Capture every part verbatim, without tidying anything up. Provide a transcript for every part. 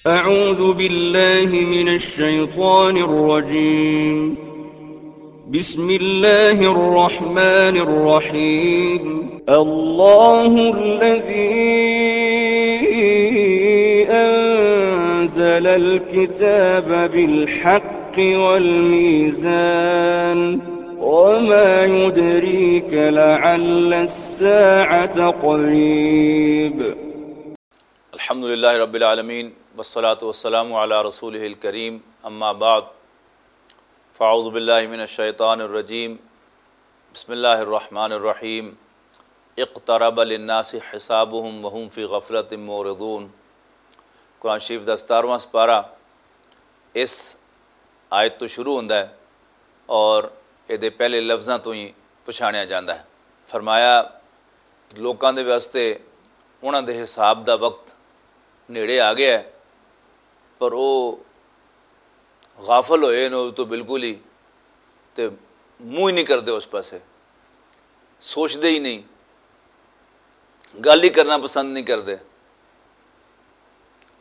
أعوذ بالله من الشيطان الرجيم. بسم الله الرحمن الرحيم. الله الذي أنزل الكتاب بالحق والميزان. وما يدريك لعل الساعة قريب. الحمد لله رب العالمين، والصلاة والسلام على رسوله الكريم، أما بعد، فأعوذ بالله من الشيطان الرجيم، بسم الله الرحمن الرحيم، اقترب للناس حسابهم وهم في غفلة معرضون۔ قرآن شریف دا ستارہواں سپارہ اس آیت تو شروع ہوندا ہے اور اے دے پہلے لفظاں تو ہی پچھانیا جاندا ہے۔ فرمایا، لوکاں دے واسطے انہاں دے حساب دا وقت نیڑے آ گیا ہے، پر او غافل ہوئے نے تو بالکل ہی، تے منہ ہی نہیں کردے اس پاسے، سوچدے ہی نہیں، گل ہی کرنا پسند نہیں کردے۔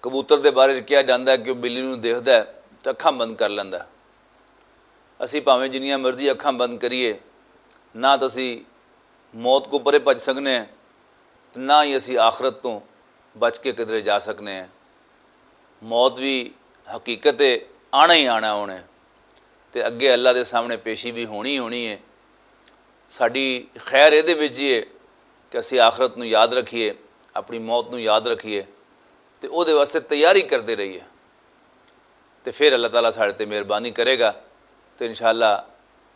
کبوتر دے بارے کہا جاندا ہے کہ وہ بلی نوں دیکھدا ہے تے اکھاں بند کر لیندا ہے۔ اسی بھاویں جنیاں مرضی اکھاں بند کریے، نہ تاں اسی موت کو پرے بچ سکنے ہیں، تے نہ ہی اسی آخرت تو بچ کے کدرے جا سکنے ہیں۔ موت بھی حقیقت ہے، آنا ہی آنا ہونا ہے، تے اگے اللہ دے سامنے پیشی بھی ہونی ہی ہونی ہے۔ ساڈی خیر اے دے وچ ہی ہے کہ اسی آخرت نوں یاد رکھیے، اپنی موت نوں یاد رکھیے، تے او دے واسطے تیاری کردے رہیے۔ تے پھر اللہ تعالیٰ ساڈے تے مہربانی کرے گا، تے انشاءاللہ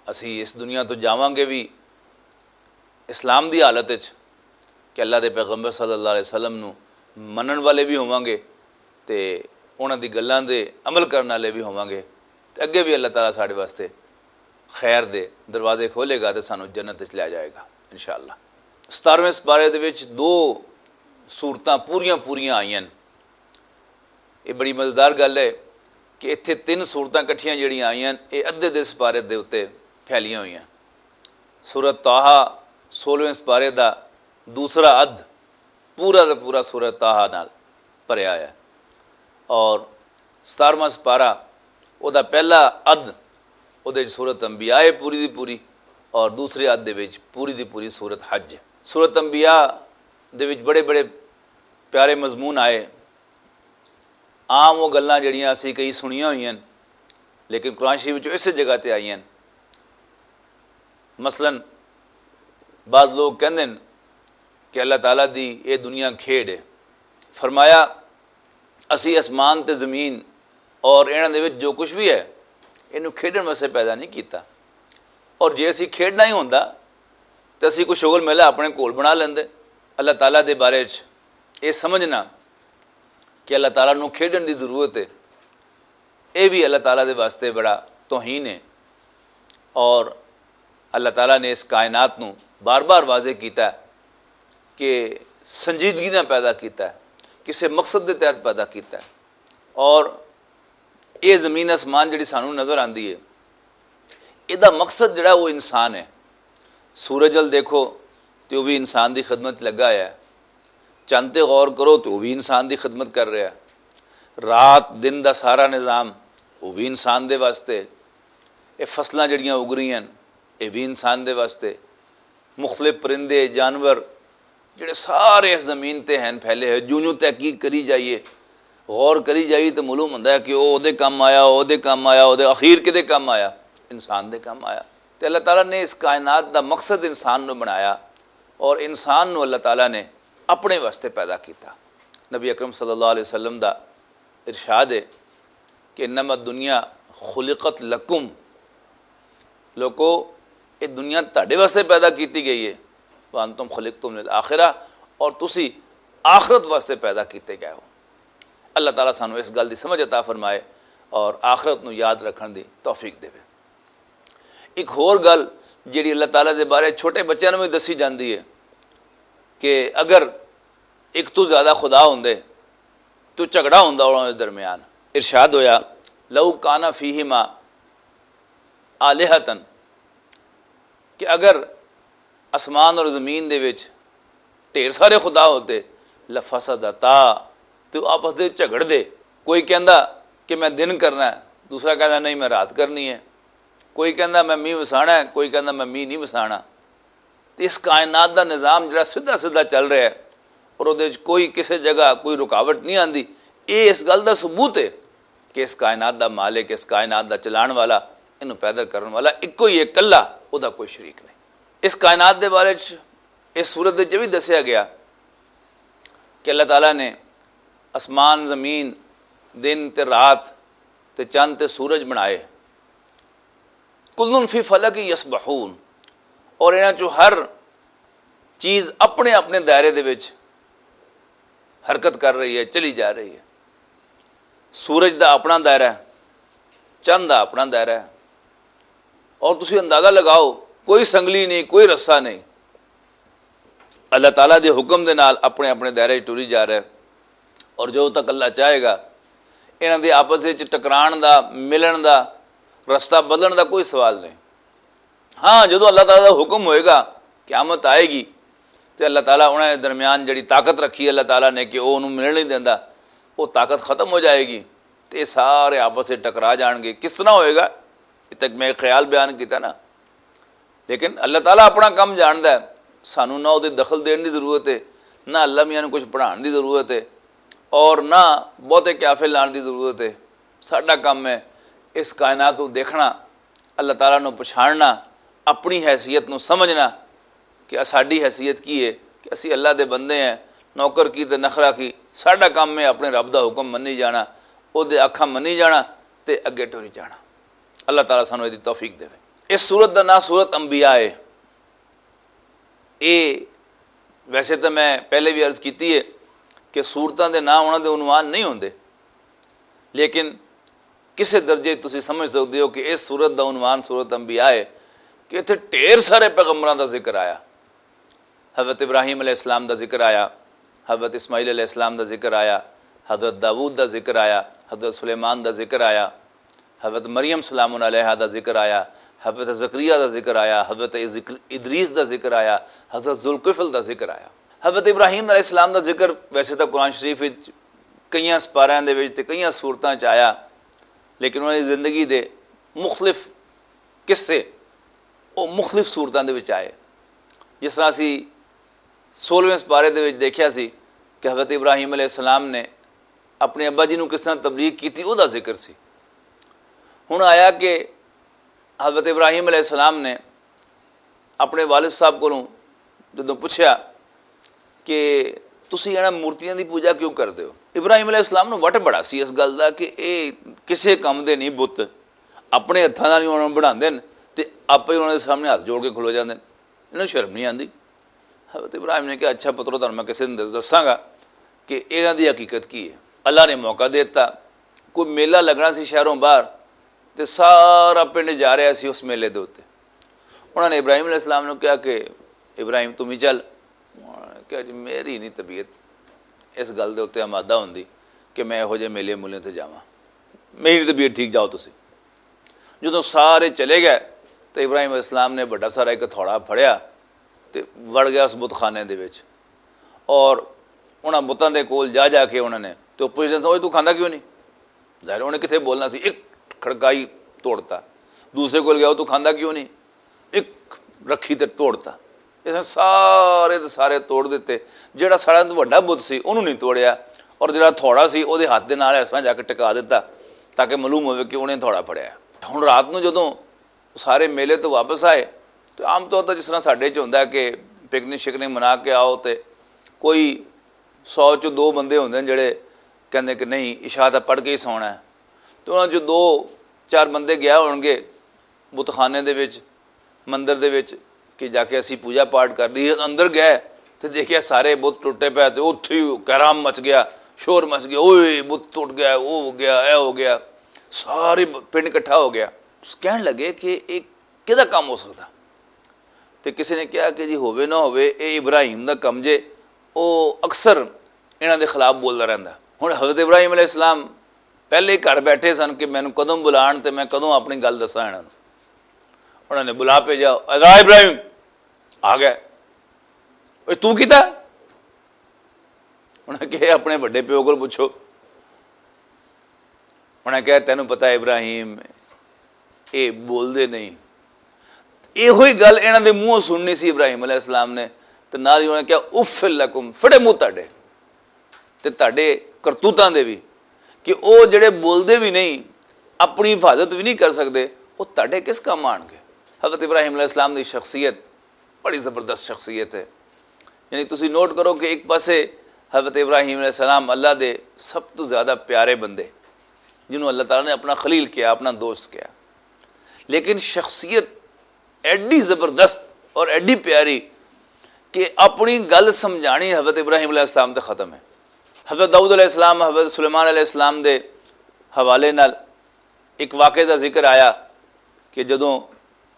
اسی اس دنیا تو جاواں گے بھی اسلام دی حالت وچ، کہ اللہ دے پیغمبر صلی اللہ علیہ وسلم نوں منن والے بھی ہوواں گے، تے انہاں دی گلاں دے عمل کرن والے بھی ہوواں گے، تے اگے بھی اللہ تعالیٰ ساڈے واسطے خیر دے دروازے کھولے گا تے سانوں جنت وچ لے جائے گا انشاءاللہ۔ ستارہویں سپارے دے وچ دو سورتاں پوریاں پوریاں آئیاں۔ یہ بڑی مزیدار گل ہے کہ اتھے تین سورتاں کٹھیاں جڑیاں آئیاں، یہ ادھے دے سپارے دے اُتے پھیلیاں ہوئیاں۔ سورت طٰہٰ، سولہویں سپارے دا دوسرا ادھ، پورا دا پورا سورت طٰہٰ نال بھریا ہے۔ اور ستارہواں سپارہ، او دا پہلا ادھ، او دے وچ سورت انبیاء ہے پوری دی پوری، اور دوسرے ادھ دے وچ پوری دی پوری سورت حج ہے۔ سورت انبیاء دے وچ بڑے بڑے پیارے مضمون آئے۔ عام وہ گلاں جڑیاں اسی کئی سنیاں ہوئی ہیں، لیکن قرآن شریف وچ اسے جگہ تے آئی ہیں۔ مثلاً بعض لوگ کہندے نے کہ اللہ تعالیٰ دی اے دنیا کھیڈ ہے۔ فرمایا، اسی اسمان تے زمین اور انہاں دے وچ جو کچھ بھی ہے، اینوں کھیڈن واسطے پیدا نہیں کیتا۔ اور جے اسی کھیڈنا ہی ہوندا تے اسی کوئی شغل میلہ اپنے کول بنا لیندے۔ اللہ تعالیٰ دے بارے وچ اے سمجھنا کہ اللہ تعالیٰ نوں کھیڈن دی ضرورت ہے، اے بھی اللہ تعالیٰ دے واسطے بڑا توہین ہے۔ اور اللہ تعالیٰ نے اس کائنات نوں بار بار واضح کیتا ہے کہ سنجیدگی نال پیدا کیتا ہے، کسے مقصد دے تحت پیدا کیتا ہے۔ اور اے زمین آسمان جڑی سانوں نظر آندی ہے، اے دا مقصد جڑا وہ انسان ہے۔ سورج ال دیکھو تے وہ بھی انسان دی خدمت لگا ہے۔ چند تے غور کرو تے وہ بھی انسان دی خدمت کر رہا ہے۔ رات دن دا سارا نظام وہ بھی انسان دے واسطے۔ اے فصلاں جڑیاں اگ رہی ہیں، اے بھی انسان دے واسطے۔ مختلف پرندے، جانور، جڑے سارے اس زمین تے ہیں پھیلے ہوئے، جوں جوں تحقیق کری جائیے، غور کری جائیے تو معلوم ہوندا ہے کہ او دے کم آیا، او دے کم آیا، او دے اخیر کدے کم آیا؟ انسان دے کم آیا۔ تے اللہ تعالیٰ نے اس کائنات دا مقصد انسان نو بنایا، اور انسان نو اللہ تعالیٰ نے اپنے واسطے پیدا کیتا۔ نبی اکرم صلی اللہ علیہ وسلم دا ارشاد ہے کہ انما الدنیا خلقت لکم، لوکو، یہ دنیا تہاڈے واسطے پیدا کیتی گئی ہے، وانتم خلقتم للآخرہ، اور تسی آخرت واسطے پیدا کیتے گئے ہو۔ اللہ تعالیٰ سانو اس گل دی سمجھ عطا فرمائے اور آخرت نو یاد رکھن دی توفیق دے۔ ایک ہور گل جڑی اللہ تعالیٰ دے بارے چھوٹے بچیاں نوں وی دسی جاندی ہے کہ اگر ایک تو زیادہ خدا ہوندے تو جھگڑا ہوندا انہاں دے درمیان۔ ارشاد ہویا، لو کان فیہما آلہۃ، کہ اگر آسمان اور زمین دے وچ ڈھیر سارے خدا ہوتے، لفسدتا، تے او آپس دے جھگڑ دے، کوئی کہندا کہ میں دن کرنا ہے، دوسرا کہندا نہیں، میں رات کرنی ہے۔ کوئی کہندا میں مینہ وسانا ہے، کوئی کہندا میں مینہ نہیں وسانا۔ تے اس کائنات دا نظام جڑا سیدھا سیدھا چل رہا ہے اور اودے وچ کوئی کسے جگہ کوئی رکاوٹ نہیں آندی، اے اس گل دا ثبوت ہے کہ اس کائنات دا مالک، اس کائنات دا چلان والا، اینوں پیدا کرن والا اکو ہی ہے، کلا، او دا کوئی شریک نہیں۔ اس کائنات دے بارے چ اس سورت دے وچ بھی دسیا گیا کہ اللہ تعالیٰ نے آسمان، زمین، دن تے رات تے چند تے سورج بنائے۔ کلن فی فلک یسبحون، اور انہاں چوں ہر چیز اپنے اپنے دائرے دے وچ حرکت کر رہی ہے، چلی جا رہی ہے۔ سورج دا اپنا دائرہ ہے، چند دا اپنا دائرہ ہے، اور تسی اندازہ لگاؤ، کوئی سنگلی نہیں، کوئی رسہ نہیں، اللہ تعالیٰ دے حکم دے نال اپنے اپنے دائرے وچ ٹری جا رہا ہے۔ اور جو تک اللہ چاہے گا، انہاں دے آپس وچ ٹکران دا، ملن دا، رستہ بدلن دا کوئی سوال نہیں۔ ہاں، جدوں اللہ تعالیٰ دا حکم ہوئے گا، قیامت آئے گی، تے اللہ تعالیٰ انہاں دے درمیان جڑی طاقت رکھی اللہ تعالیٰ نے کہ او انہوں ملن نہیں دیندا، وہ طاقت ختم ہو جائے گی، تے یہ سارے آپس سے ٹکرا جان گے۔ کس طرح ہوئے گا؟ یہ تک میں ایک خیال بیان کیتا نا، لیکن اللہ تعالیٰ اپنا کم جاندا ہے۔ سانوں نہ اودے دخل دین دی ضرورت ہے، نہ اللہ میاں نوں کچھ پڑھان دی ضرورت ہے، اور نہ بہتے قیافے لان دی ضرورت ہے۔ ساڈا کم ہے اس کائنات نوں دیکھنا، اللہ تعالیٰ نوں پچھاننا، اپنی حیثیت نوں سمجھنا کہ ساڈی حیثیت کی ہے، کہ اسی اللہ دے بندے ہیں، نوکر کی تے نخرہ کی۔ ساڈا کم ہے اپنے رب دا حکم منی جانا، او دے آکھاں منی جانا تے اگے ٹری جانا۔ اللہ تعالیٰ سانوں ایہدی توفیق دے۔ اس سورت دا نام سورت انبیاء ہے۔ اے ویسے تو میں پہلے بھی عرض کیتی ہے کہ سورتاں دے نام انہاں دے عنوان نہیں ہوندے، لیکن کسے درجے تسی سمجھ سکدے ہو کہ اس سورت دا عنوان سورت انبیاء ہے، کہ اتھے ڈھیر سارے پیغمبراں دا ذکر آیا۔ حضرت ابراہیم علیہ السلام دا ذکر آیا، حضرت اسماعیل علیہ السلام دا ذکر آیا، حضرت داؤد دا ذکر آیا، حضرت سلیمان دا ذکر آیا، حضرت مریم سلام علیہا دا ذکر آیا، حضرت زکریا دا ذکر آیا، حضرت ذکر ادریس دا ذکر آیا، حضرت ذوالکفل دا ذکر آیا۔ حضرت ابراہیم علیہ السلام دا ذکر ویسے تاں قرآن شریف وچ کئیاں سپاریاں دے وچ تے کئیاں صورتاں چ آیا، لیکن انہاں دی زندگی دے مختلف قصے او مختلف صورتاں دے وچ آئے۔ جس طرح اسی سولہویں سپارے دے وچ دیکھیا سی کہ حضرت ابراہیم علیہ السلام نے اپنے ابا جی نوں کس طرح تبلیغ کیتی، او دا ذکر سی۔ ہن آیا کہ حضرت ابراہیم علیہ السلام نے اپنے والد صاحب کولوں جدوں پوچھیا کہ تسی انہاں مورتیاں دی پوجا کیوں کردے ہو؟ ابراہیم علیہ السلام نوں وٹ بڑا سی اس گل دا کہ اے کسے کم دے نہیں بت، اپنے ہتھاں نال ہی انہاں نوں بناندے نے تے آپے ہی انہاں دے سامنے ہتھ جوڑ کے کھلو جاندے نے۔ انہاں نوں شرم نہیں آندی؟ حضرت ابراہیم نے کہا، اچھا پترو، تہانوں میں کسے دن دساں گا کہ انہاں دی حقیقت کی ہے۔ اللہ نے موقع دے دتا، کوئی میلہ لگنا سی شہروں باہر، تے سارا پنڈ جا رہا سی اس میلے دے اُتے۔ انہاں نے ابراہیم علیہ السلام نوں کہا کہ ابراہیم، تم ہی چل۔ انہاں نے کہا، جی، میری نہیں طبیعت اس گل دے اُتے آمادہ ہوندی کہ میں یہو جہے میلے مولے تے جاواں، میری طبیعت ٹھیک، جاؤ تسی۔ جدوں سارے چلے گئے تے ابراہیم علیہ السلام نے بڑا سارا ایک ہتھوڑا پھڑیا تے وڑ گیا اس بت خانے دے وچ، اور انہاں بتاں دے کول جا جا کے انہاں نے تے او پوچھدے سن، اوئے، تو کھاندا کیوں نہیں؟ ظاہر ہے، انہیں کتھے بولنا سی، ایک کھڑکائی توڑتا۔ دوسرے کول گیا، تو کھاندا کیوں نہیں؟ ایک رکھی تے توڑتا۔ اس نے سارے دے سارے توڑ دیتے۔ جڑا سارا تو وڈا بت سی، انہوں نہیں توڑیا، اور جڑا تھوڑا سی، او دے ہاتھ دے نال اس طرح جا کے ٹکا دیتا، تاکہ معلوم ہوئے کہ انہیں تھوڑا پڑیا۔ ہن رات نوں جدوں سارے میلے تو واپس آئے، تو عام طور تے جس طرح ساڈے چ ہوندا ہے کہ پکنک شکنک منا کے آؤ، تے کوئی سو چ دو بندے ہوندے نے جڑے کہندے کہ نہیں، عشاء تے پڑھ کے ہی سونا ہے۔ تو انہاں چ دو چار بندے گیا ہون گے بت خانے دے وچ، مندر دے وچ، کہ جا کے اسی پوجا پاٹ کر لئیے۔ اندر گئے تے دیکھیا سارے بت ٹوٹے پے، تے اتھے ہی کہرام مچ گیا، شور مچ گیا، اوئے بت ٹوٹ گیا، او ہو گیا، اے ہو گیا۔ سارے ب-، پنڈ اکٹھا ہو گیا۔ کہن لگے کہ اے کدا کم ہو سکدا؟ تے کسے نے کہا کہ جی ہووے نہ ہووے، اے ابراہیم دا کم جے، او اکثر انہاں دے خلاف بولدا رہندا۔ ہن حضرت ابراہیم علیہ السلام پہلے ہی گھر بیٹھے سن کہ مینوں کدوں بلان تے میں کدوں اپنی گل دساں انہاں نوں۔ انہاں نے بلا بھیجا، "اے ابراہیم!" آ گئے۔ "اے تو کیتا؟" انہاں کہے، "اپنے وڈے پیو کول پوچھو۔" انہاں نے کہا، "تینوں پتہ ہے ابراہیم، اے بولدے نہیں۔" ایہو ہی گل انہاں دے منہوں سننی سی ابراہیم علیہ السلام نے، تے نال ہی انہاں نے کہا، "اف لکم۔" فڑے منہ تہاڈے تے تہاڈے کرتوتاں دے وی، کہ او جڑے بولدے وی نہیں، اپنی حفاظت وی نہیں کر سکدے، او تہاڈے کس کم آنگے؟ حضرت ابراہیم علیہ السلام دی شخصیت بڑی زبردست شخصیت ہے۔ یعنی تسی نوٹ کرو کہ ایک پاسے حضرت ابراہیم علیہ السلام اللہ دے سب تو زیادہ پیارے بندے، جنہوں اللہ تعالیٰ نے اپنا خلیل کیا، اپنا دوست کیا، لیکن شخصیت ایڈی زبردست اور ایڈی پیاری کہ اپنی گل سمجھانی حضرت ابراہیم علیہ السلام تے ختم ہے۔ حضرت داؤد علیہ السلام، حضرت سلیمان علیہ السلام دے حوالے نال ایک واقعے دا ذکر آیا کہ جدوں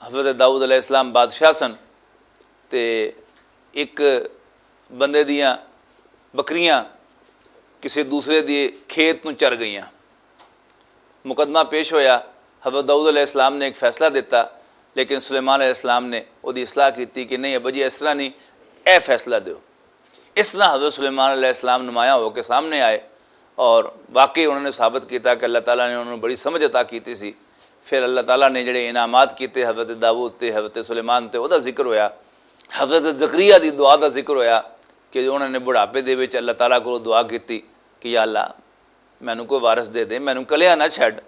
حضرت داؤد علیہ السلام بادشاہ سن، تے ایک بندے دیاں بکریاں کسے دوسرے دی کھیت نوں چر گئیاں۔ مقدمہ پیش ہویا، حضرت داؤد علیہ السلام نے ایک فیصلہ دیتا، لیکن سلیمان علیہ السلام نے اودی اصلاح کیتی کہ نہیں ابا جی، اس طرح نہیں، اے فیصلہ دیو۔ اس طرح حضرت سلیمان علیہ السلام نمایاں ہو کے سامنے آئے، اور واقعی انہوں نے ثابت کیتا کہ اللہ تعالیٰ نے انہوں نے بڑی سمجھ عطا کیتی سی۔ پھر اللہ تعالیٰ نے جڑے انعامات کیتے حضرت داؤد تے حضرت سلیمان تے، او دا ذکر ہویا۔ حضرت زکریا دی دعا دا ذکر ہویا کہ انہوں نے بڑھاپے دے وچ اللہ تعالیٰ کو دعا کیتی کہ یا اللہ، مینوں کوئی وارث دے دے، مینوں کلیا نہ چھڈ،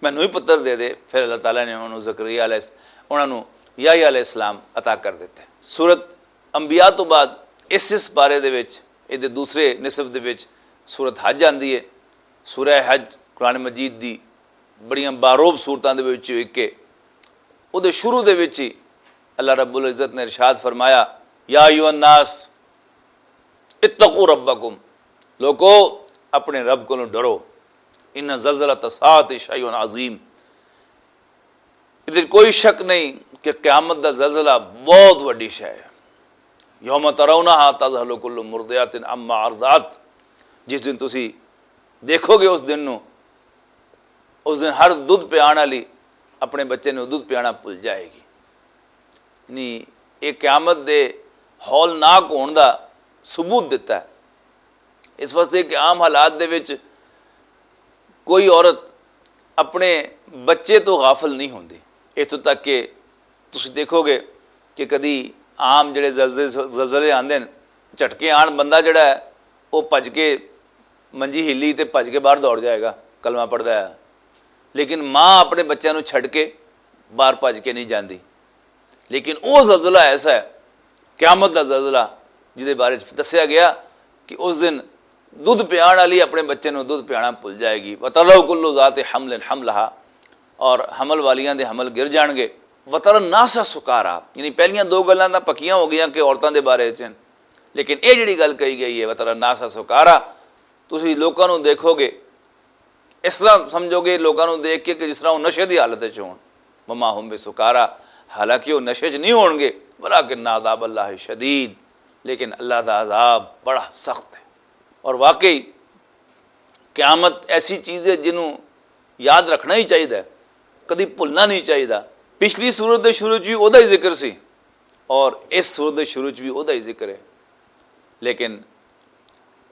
مینوں ہی پتر دے دے۔ پھر اللہ تعالیٰ نے انہوں زکریا علیہ الس-، انہوں یحییٰ علیہ السلام عطا کر دتے۔ سورت انبیاء تو بعد اس اس بارے دے وچ، اے دے دوسرے نصف دے وچ سورت حج آندی ہے۔ سورہ حج قرآن مجید دی بڑیاں باروب سورتاں دے وچ ایک ہے۔ او دے شروع دے وچ ہی اللہ رب العزت نے ارشاد فرمایا، یا ایھا الناس اتقوا ربکم، لوکو، اپنے رب کو ڈرو، ان زلزلۃ الساعۃ شیء عظیم۔ اس وچ کوئی شک نہیں کہ قیامت دا زلزلہ بہت وڈی شے ہے۔ یوم ترونہا تذہل کل مرضعۃ عما ارضعت، جس دن تسی دیکھو گے اس دن نو، اس دن ہر دودھ پیان والی اپنے بچے نو دودھ پیانا بھل جائے گی۔ یعنی یہ قیامت دے ہولناک ہون دا ثبوت دیتا ہے۔ اس واسطے کہ عام حالات دے وچ کوئی عورت اپنے بچے تو غافل نہیں ہوندی۔ اتھوں تک کہ تسی دیکھو گے کہ کدی عام جڑے زلزلے، زلزلے آندے نے، جھٹکے آن، بندہ جڑا ہے، وہ بھج کے، منجی ہلی تے بھج کے باہر دوڑ جائے گا، کلمہ پڑھدا ہے۔ لیکن ماں اپنے بچیاں نوں چھڈ کے باہر بھج کے نہیں جاندی۔ لیکن وہ زلزلہ ایسا ہے، قیامت دا زلزلہ، جس دے بارے چ دسیا گیا کہ اس دن دودھ پیان والی اپنے بچے نوں دودھ پیانا بھل جائے گی۔ وَتَذَرُ كُلُّ ذَاتِ حَمْلٍ حَمْلَهَا، اور حمل والیاں دے حمل گر جان گے۔ وَتَرَى النَّاسَ سُكَارَىٰ، یعنی پہلیاں دو گلاں تاں پکیاں ہو گئیاں کہ عورتاں دے بارے چ، لیکن یہ جڑی گل کہی گئی ہے، وَتَرَى النَّاسَ سُكَارَىٰ، تسی لوکاں نوں دیکھو گے، اس طرح سمجھو گے لوکاں نوں دیکھ کے کہ جس طرح وہ نشے دی حالت وچ ہون۔ وما هم بسکارا، حالانکہ وہ نشے چ نہیں ہون گے، ولکن عذاب اللہ شدید، لیکن اللہ دا عذاب بڑا سخت ہے۔ اور واقعی قیامت ایسی چیز ہے جنوں یاد رکھنا ہی چاہیے، کدی بھولنا نہیں چاہیے۔ پچھلی سورت دے شروع چ بھی اودا ہی ذکر سی، اور اس سورت دے شروع چ بھی اودا ہی ذکر ہے، لیکن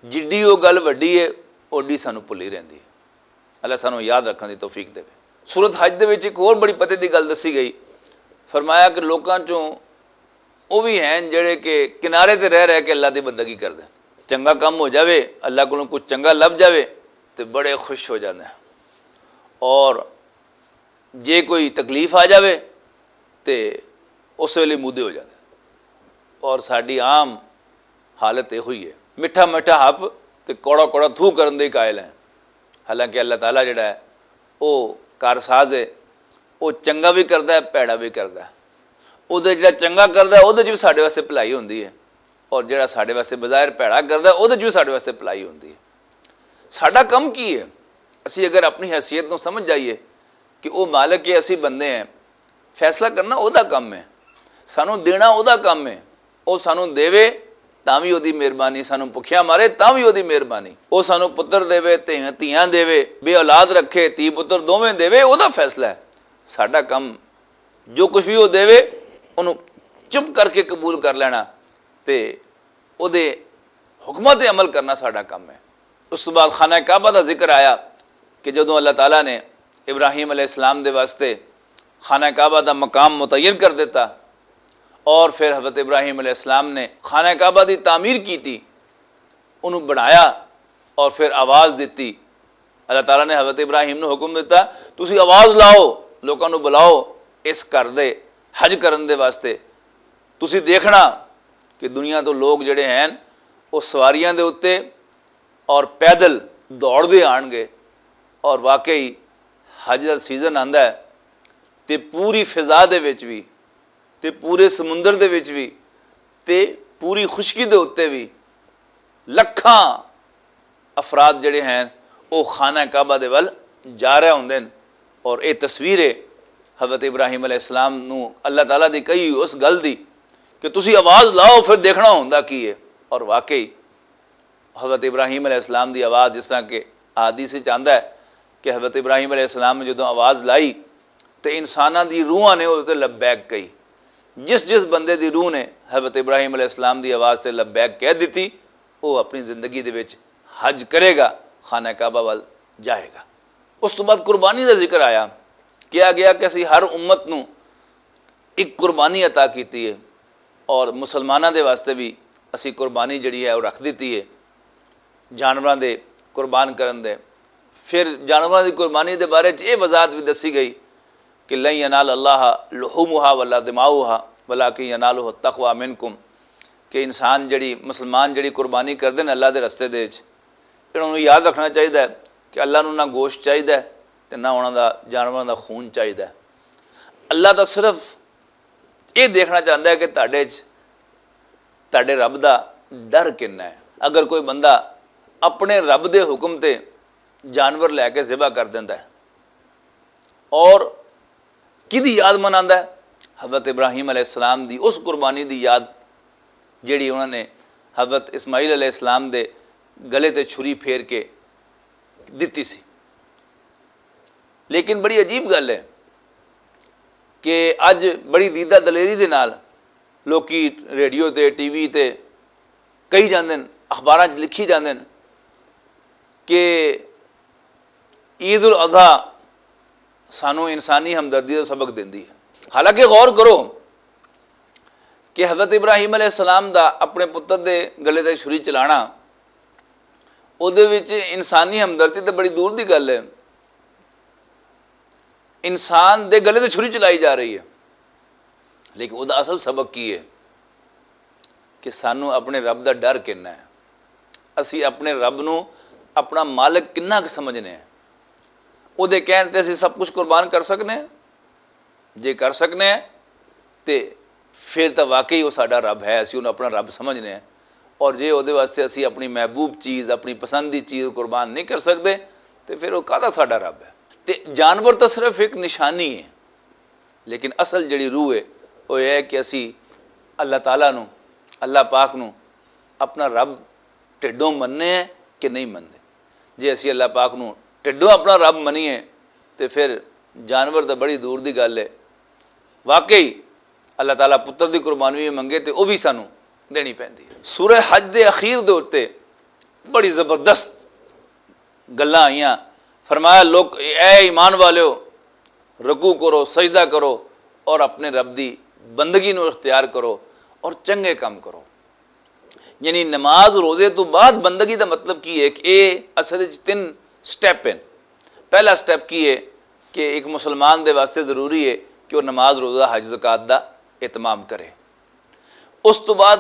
جڈی وہ گل وڈی ہے، اوڈی سانو بھلی رہندی ہے۔ اللہ سانو یاد رکھن دی توفیق دے۔ سورت حج دے وچ ایک ہور بڑی پتے دی گل دسی گئی، فرمایا کہ لوکاں چوں وہ بھی ہیں جڑے کہ کنارے تے رہ رہ کے اللہ دی بندگی کردے۔ چنگا کم ہو جاوے، اللہ کولوں کچھ چنگا لب جاوے، تے بڑے خوش ہو جاندے ہیں۔ اور جے کوئی تکلیف آ جاوے تے اس ویلے مودے ہو جاندے۔ اور ساڈی عام حالت یہ ہوئی ہے، مٹھا مٹھا ہپ تے کوڑا کوڑا تھو کرن دے قائل ہیں۔ حالانکہ اللہ تعالیٰ جڑا ہے، وہ کارساز ہے، وہ چنگا بھی کردا ہے، پیڑا بھی کردا ہے۔ وہ جڑا چنگا کردا ہے، وہ بھی ساڈے واسطے بھلائی ہوندی ہے، اور جڑا ساڈے واسطے بظاہر پیڑا کردا ہے، وہ بھی ساڈے واسطے بھلائی ہوندی ہے۔ ساڈا کم کی ہے؟ اسی اگر اپنی حیثیت نوں سمجھ جائیے کہ وہ مالک ہے، اسی بندے ہیں، فیصلہ کرنا او دا کم ہے، سانوں دینا او دا کم ہے۔ او سانوں دیوے تاں وی او دی مہربانی، سانوں بھکھیا مارے تاں وی او دی مہربانی۔ او سانوں پتر دیوے، دھی-، دھیاں دیوے، بے اولاد رکھے، دھی پتر دوویں دیوے، او دا فیصلہ ہے۔ ساڈا کم جو کچھ وی او دیوے، اونوں چپ کر کے قبول کر لینا تے او دے حکماں تے عمل کرنا ساڈا کم ہے۔ اس تو بعد خانہ کعبہ دا ذکر آیا کہ جدوں اللہ تعالیٰ نے ابراہیم علیہ السلام دے واسطے خانہ کعبہ دا مقام متعین کر دیتا، اور پھر حضرت ابراہیم علیہ السلام نے خانہ کعبہ دی تعمیر کی تھی، انہوں بنایا اور پھر آواز دتی۔ اللہ تعالیٰ نے حضرت ابراہیم نوں حکم دیتا، "تسی آواز لاؤ، لوکاں نوں بلاؤ اس گھر دے حج کرن دے واسطے۔ تسی دیکھنا کہ دنیا تو لوگ جڑے ہیں، وہ سواریاں دے اُتے اور پیدل دوڑ دے آن گے۔" اور واقعی حج دا سیزن آندا ہے، تے پوری فضا دے وچ بھی، تے پورے سمندر دے وچ بھی، تے پوری خشکی دے اُتے بھی لکھاں افراد جڑے ہیں، وہ خانہ کعبہ دے ول جا رہے ہوندے نے۔ اور یہ تصویر ہے حضرت ابراہیم علیہ السلام نو اللہ تعالیٰ دی کہی اس گل دی کہ "تسی آواز لاؤ، پھر دیکھنا ہوندا کی ہے۔" اور واقعی حضرت ابراہیم علیہ السلام دی آواز، جس طرح کہ حدیث وچ آندا ہے کہ حضرت ابراہیم علیہ السلام نے جدوں آواز لائی، تے انساناں دی روحاں نے اوہدے تے لبیک کہی۔ جس جس بندے دی روح نے حضرت ابراہیم علیہ السلام دی آواز تے لبیک کہہ دتی، وہ اپنی زندگی دے وچ حج کرے گا، خانہ کعبہ ول جائے گا۔ اس تو بعد قربانی دا ذکر آیا، کہا گیا کہ اسی ہر امت نو ایک قربانی عطا کیتی ہے، اور مسلماناں دے واسطے بھی اسی قربانی جڑی ہے وہ رکھ دتی ہے، جانوراں دے قربان کرن دے۔ پھر جانوراں دی قربانی دے بارے چ یہ وضاحت بھی دسی گئی کہ "لن ینال اللہ لحومہا ولا دماؤہا، ولکن ینالہ التقوی منکم"، کہ انسان جڑی، مسلمان جڑی قربانی کردے نے اللہ دے رستے دے وچ، انہاں نوں یاد رکھنا چاہیدا ہے کہ اللہ نوں نہ گوشت چاہیدا ہے تے نہ انہاں دا، جانوراں دا خون چاہیدا ہے۔ اللہ دا صرف یہ دیکھنا چاہتا ہے کہ تہاڈے چ، تہاڈے رب دا ڈر کنا ہے۔ اگر کوئی بندہ اپنے رب دے حکم تے جانور لے کے ذبح کر دیندا ہے اور کدی یاد مناندا ہے؟ حضرت ابراہیم علیہ السلام دی اس قربانی دی یاد، جیڑی انہوں نے حضرت اسماعیل علیہ السلام دے گلے تے چھری پھیر کے دتی سی۔ لیکن بڑی عجیب گل ہے کہ اج بڑی دیدہ دلیری دے نال لوکی ریڈیو تے، ٹی وی تے کہی جاندے نے، اخباراں 'چ لکھی جاندے نے کہ عید الاضحی سانوں انسانی ہمدردی دا سبق دیندی ہے۔ حالانکہ غور کرو کہ حضرت ابراہیم علیہ السلام دا اپنے پتر دے گلے تے چھری چلانا، اودے وچ انسانی ہمدردی تے بڑی دور دی گل ہے۔ انسان دے گلے تے چھری چلائی جا رہی ہے، لیکن اودے اصل سبق کی ہے؟ کہ سانوں اپنے رب دا ڈر کنا ہے، اسی اپنے رب نوں اپنا مالک کنا کُ سمجھنے ہیں۔ اودے کہن تے اسی سب کچھ قربان کر سکنے ہیں؟ جے کر سکنے ہیں تے پھر تاں واقعی وہ ساڈا رب ہے، اسی انہوں اپنا رب سمجھنے ہیں۔ اور جے اودے واسطے اسی اپنی محبوب چیز، اپنی پسندی چیز قربان نہیں کر سکتے، تے پھر وہ کادا ساڈا رب ہے؟ تے جانور تاں صرف ایک نشانی ہے، لیکن اصل جڑی روح ہے، وہ یہ ہے کہ اسی اللہ تعالیٰ نو، اللہ پاک نو اپنا رب ٹھڈوں مننے ہیں کہ نہیں مننے۔ جے اسی اللہ پاک نو ٹھڈوں اپنا رب منیے، تے پھر جانور تاں بڑی دور دی گل ہے۔ واقعی اللہ تعالیٰ پتر دی قربانی بھی منگے تے وہ بھی سانو دینی پیندی ہے۔ سورہ حج دے اخیر دے اُتے بڑی زبردست گلاں آئیاں۔ فرمایا، لوگ، اے ایمان والیو، رکوع کرو، سجدہ کرو اور اپنے رب دی بندگی نو اختیار کرو اور چنگے کام کرو۔ یعنی نماز روزے تو بعد بندگی دا مطلب کی ہے کہ اے اصل وچ تین سٹیپ ہیں۔ پہلا سٹیپ کی ہے کہ ایک مسلمان دے واسطے ضروری ہے کہ وہ نماز، روزہ، حج، زکوٰۃ دا اہتمام کرے۔ اس تو بعد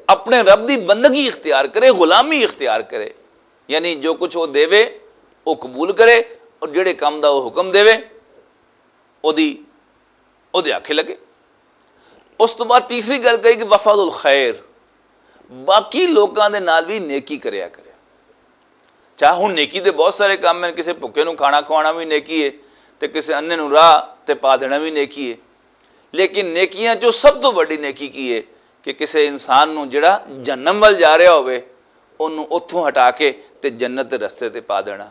اپنے رب دی بندگی اختیار کرے، غلامی اختیار کرے، یعنی جو کچھ وہ دے، وہ قبول کرے، اور جڑے کام دا وہ حکم دے، وہ دی، وہ دے آکھے لگے۔ اس تو بعد تیسری گل کہی کہ وفد الخیر، باقی لوکاں دے نال بھی نیکی کریا کرے۔ چاہے ہن نیکی دے بہت سارے کام ہیں، کسے بھکے نوں کھانا کھوانا بھی نیکی ہے، تے کسے انے نوں راہ تے پا دینا بھی نیکی ہے۔ لیکن نیکیاں چوں سب تو وڈی نیکی کی ہے کہ کسے انسان نوں جڑا جہنم ول جا رہا ہوئے، انہوں اتھوں ہٹا کے تے جنت دے رستے تے پا دینا۔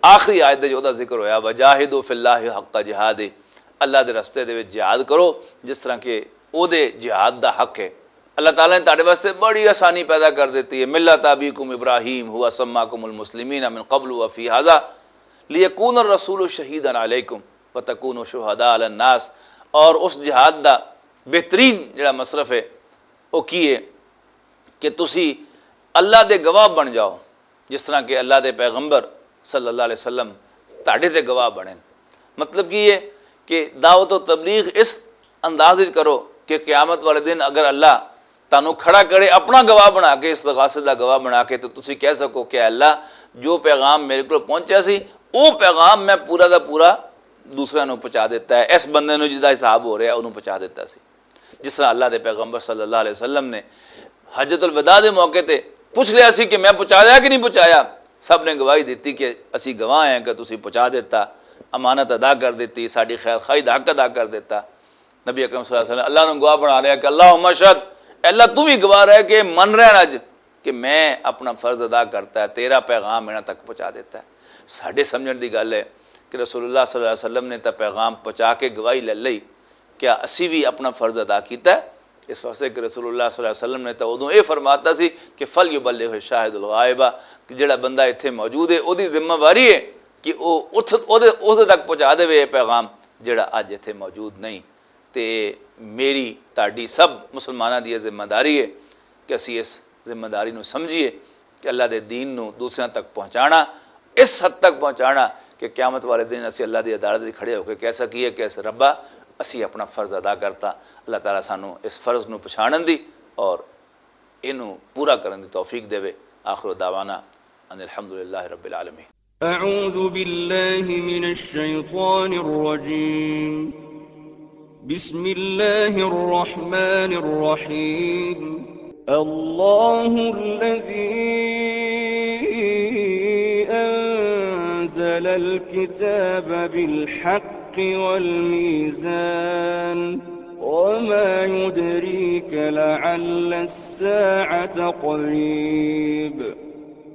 آخری آیت دے وچ اوہدا ذکر ہویا، "وجاہدوا فی اللہ حق جہادہ"، اللہ دے رستے دے وچ جہاد کرو جس طرح کہ اوہدے جہاد دا حق ہے۔ اللہ تعالیٰ نے تہاڈے واسطے بڑی آسانی پیدا کر دتی ہے۔ ملت ابیکم ابراہیم ہوا سماکم المسلمین من قبل وفی ہذا، لیکون الرسول شہیدا علیکم وتکونوا شہداء علی الناس۔ اور اس جہاد دا بہترین جڑا مصرف ہے، وہ کی ہے؟ کہ تسی اللہ دے گواہ بن جاؤ، جس طرح کہ اللہ دے پیغمبر صلی اللہ علیہ وسلم تہاڈے تے گواہ بنے۔ مطلب کی ہے کہ دعوت و تبلیغ اس انداز وچ کرو کہ قیامت والے دن اگر اللہ تانوں کھڑا کرے اپنا گواہ بنا کے، اس غاصب دا گواہ بنا کے، تو تسی کہہ سکو کہ اللہ، جو پیغام میرے کو پہنچیا سی، وہ پیغام میں پورا دا پورا دوسرے نوں پہنچا دیتا ہے، اس بندے نوں جدا حساب ہو رہا ہے، انہوں پہنچا دیتا سی۔ جس طرح اللہ دے پیغمبر صلی اللہ علیہ وسلم نے حجۃ الوداع دے موقع تے پوچھ لیا سی کہ میں پہنچایا کہ نہیں پہنچایا، سب نے گواہی دیتی کہ اسی گواہ ہیں کہ تسی پہنچا دیتا، امانت ادا کر دیتی، ساڈی خیر خواہی دا حق ادا کر دیتا۔ نبی اکرم صلی اللہ علیہ وسلم اللہ نوں گواہ بنا لیا کہ اللہم اشہد، اے اللہ تو بھی گواہ رہے کہ من رہن اج کہ میں اپنا فرض ادا کرتا ہے، تیرا پیغام انہاں تک پہنچا دیتا ہے۔ ساڈے سمجھن دی گل ہے کہ رسول اللہ صلی اللہ علیہ وسلم نے تاں پیغام پہنچا کے گواہی لے لئی، کیا اسی بھی اپنا فرض ادا کیتا ہے؟ اس واسطے کہ رسول اللہ صلی اللہ علیہ وسلم نے تاں ادوں یہ فرماتا سی کہ فل یبلغ شاہد الغائبہ، کہ جڑا بندہ اتھے موجود ہے، اودی ذمہ واری ہے کہ وہ اتھ اودے اودے تک پہنچا دے یہ پیغام جڑا اج اتھے موجود نہیں۔ تے میری، تہاڈی، سب مسلماناں دی یہ ذمہ داری ہے کہ اسی اس ذمہ داری نوں سمجھیے کہ اللہ دے دین نوں دوسریاں تک پہنچانا، اس حد تک پہنچانا کہ قیامت والے دن اسی اللہ دی عدالت وچ کھڑے ہو کے کہہ سکیے کہ اس ربا، اسی اپنا فرض ادا کرتا۔ اللہ تعالیٰ سانوں اس فرض نوں پچھانن دی اور اینوں پورا کرن دی توفیق دیوے۔ آخر دعوانا ان الحمدللہ رب العالمین۔ أعوذ بالله من الشيطان الرجيم. بسم الله الرحمن الرحيم. الله الذي أنزل الكتاب بالحق والميزان. وما يدريك لعل الساعة قريب.